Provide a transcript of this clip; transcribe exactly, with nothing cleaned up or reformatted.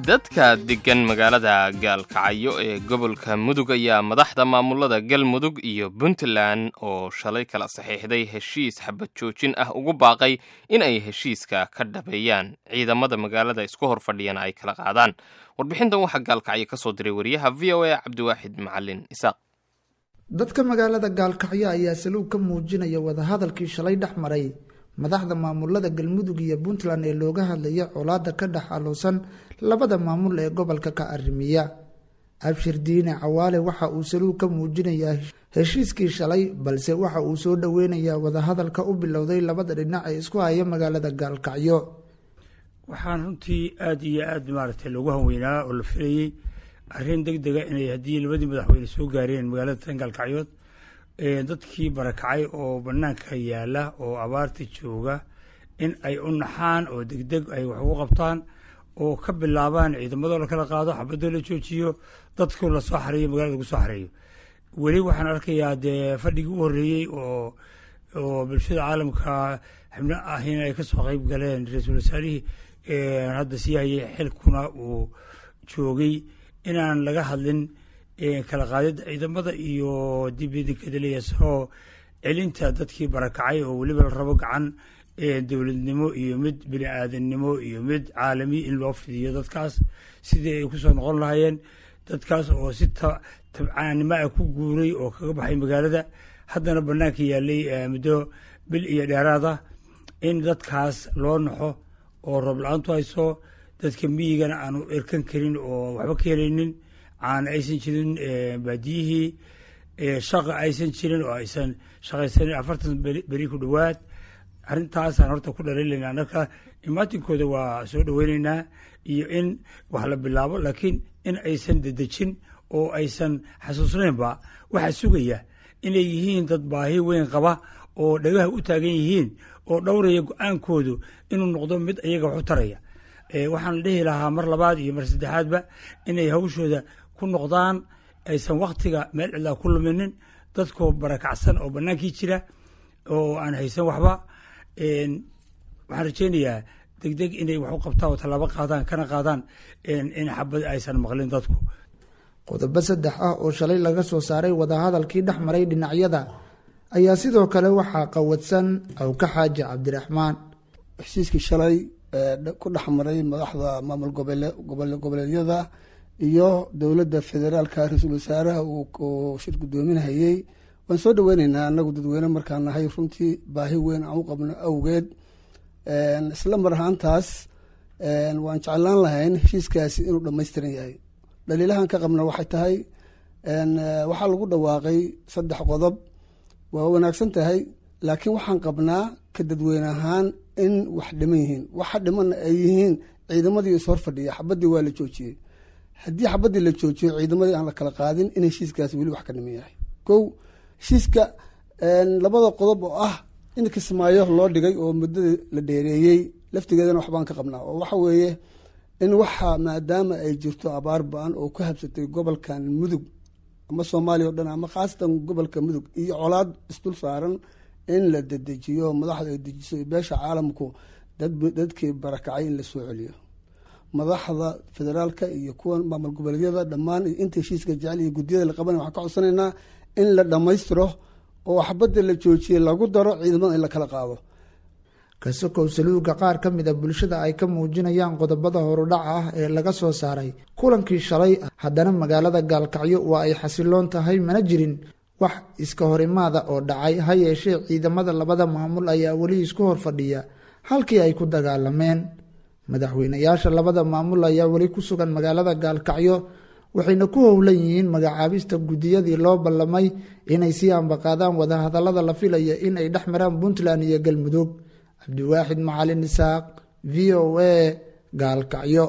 Dadka deggan magaalada Gaalkacyo ee gobolka Mudug ayaa madaxda maamulada Galmudug iyo Puntland oo shalay kala saxiixday heshiis xabad joojin ah ugu baaqay in ay heshiiska ka dhabeeyaan, ciidamada magaalada isku hor fadhiyana ay kala qaadaan. Warbixintan waxaa Gaalkacyo ka soo diray wariyaha V O A Cabdiwaaxid Macalin Isaaq. Dadka magaalada Gaalkacyo ayaa saluug ka muujinaya wadahadalkii shalay dhex maray madaxda maamulada Galmudug iyo Puntland ee looga hadlaya colaada ka dhex aloosan labada maamul ee gobolka ka arrimiya. Abshir Diine Cawaale waxa uu saluug ka muujinayaa heshiiskii shalay, balse waxa uu soo dhoweynayaa wadahadalka u bilowday labada dhinac ee isku haya magaalada Gaalkacyo. Waxaan runtii aada iyo aada maaragtay loogu hanweynaa oo la filayey arrin deg dega inay haddii labadii madaxweyne soo gaareen magaalada tan Gaalkacyood, dadkii barakacay oo banaanka yaala oo abaarta jooga in ay u naxaan oo degdeg ay wax ugu qabtaan oo ka bilaabaan ciidamadoo la kala qaado, xabadoo la joojiyo, dadku lasoo xareeyo, magalada lagu soo xareeyo. Weli waxaan arkayaa dee fadhigii u horreeyey oo oo bulshada caalamka xubno ahina ay kasoo qeyb galeen, ra-iisul wasaarihii hadda sii hayay xilkuna uu joogay, inaan laga hadlin kala qaadida ciidamada iyo dibidikadaleya soo celinta dadkii barakacay oo weliba la rabo gacan dowladnimo iyo mid bini aadannimo iyo mid caalami in loo fidiyo dadkaas sidii ay kusoo noqon lahaayeen, dadkaas oo si tabcaanimo ah ku guuray oo kaga baxay magaalada, haddana banaanka yaalay muddo bil iyo dheeraad ah, in dadkaas loo naxo oo roob la-aantu hayso, dadka miyigana aanu erkan karin oo waxba ka helaynin, caana aysan jirin baadiyihii, shaqa aysan jirin oo aysan shaqaysanin afartan beri ku dhowaad. Arrintaasaan horta ku dhaliilaynaa. Marka imaatinkooda waa soo dhoweynaynaa iyo in wax la bilaabo, laakiin in aysan dedejin oo aysan xasuusnaynba waxaa sugaya inay yihiin dad baahi weyn qaba oo dhagaha u taagan yihiin oo dhowraya go-aankoodu inuu noqdo mid iyaga wax u taraya. Waxaan dhihi lahaa mar labaad iyo mar saddexaadba inay hawshooda ku noqdaan, aysan waktiga meel cidlaa ku luminin, dadkoo barakacsan oo bannaankii jira oo aan haysan waxba. Waxaan rajeynayaa degdeg inay wax u qabtaan oo tallaabo qaadaan, kana qaadaan in xabad aysan maqlin dadku. Qodobo saddex ah oo shalay laga soo saaray wadahadalkii dhex maray dhinacyada ayaa sidoo kale waxaa qawadsan Awka Xaaji Cabdiraxmaan. Heshiiskii shalay ku dhex maray madaxda maamul goboleedyada iyo dowladda federaalka, ra-iisul wasaaraha uu shir guddoominhayey, waan soo dhaweyneynaa annagu dadweyne markaan nahay, runtii baahi weyn aan u qabno awgeed. Isla mar ahaantaas waan jeclaan lahayn heshiiskaasi inuu dhammaystiran yahay. Dhaliilahan ka qabna waxay tahay waxaa lagu dhawaaqay saddex qodob, waa wanaagsan tahay, laakiin waxaan qabnaa ka dadweyne ahaan in wax dhiman yihiin. Waxa dhimanna ay yihiin ciidamadii is hor fadhiya, xabaddii waa la joojiyey. Haddii xabaddii la joojiyo ciidamadii aan la kala qaadin, in heshiiskaasi weli wax ka dhiman yahay. Kow, heshiiska labada qodob oo ah in Kismaayo loo dhigay oo muddada la dheereeyey laftigeedana waxbaan ka qabnaa, oo waxa weeye in waxa maadaama ay jirto abaar ba-an oo ku habsatay gobolkan Mudug ama Soomaaliya o dhan ama khaasatan gobolka Mudug iyo colaad isdul saaran, in la dedejiyo, madaxda ay dejiso beesha caalamku dadkii barakacay in la soo celiyo. Madaxda federaalka iyo kuwa maamul goboleedyada dhammaan iyo inta heshiiska jecel iyo guddiyada la qabanay waxaan ka codsanaynaa in la dhammaystiro oo xabadda la joojiyey lagu daro ciidamada in la kala qaado. Kasokow saluuga qaar ka mid a bulshada ay ka muujinayaan qodobada horudhaca ah ee laga soo saaray kulankii shalay, haddana magaalada Gaalkacyo waa ay xasiloon tahay, mana jirin wax iska horimaada oo dhacay. Ha yeeshee ciidamada labada maamul ayaa weli isku hor fadhiya halkii ay ku dagaalameen. Madaxweynayaasha labada maamul ayaa weli ku sugan magaalada Gaalkacyo, waxayna ku howlan yihiin magacaabista guddiyadii loo ballamay inay sii ambaqaadaan wadahadallada la filaya in ay dhex maraan Puntland iyo Galmudug. Cabdiwaaxid Macalin Isaaq, V O A, Gaalkacyo.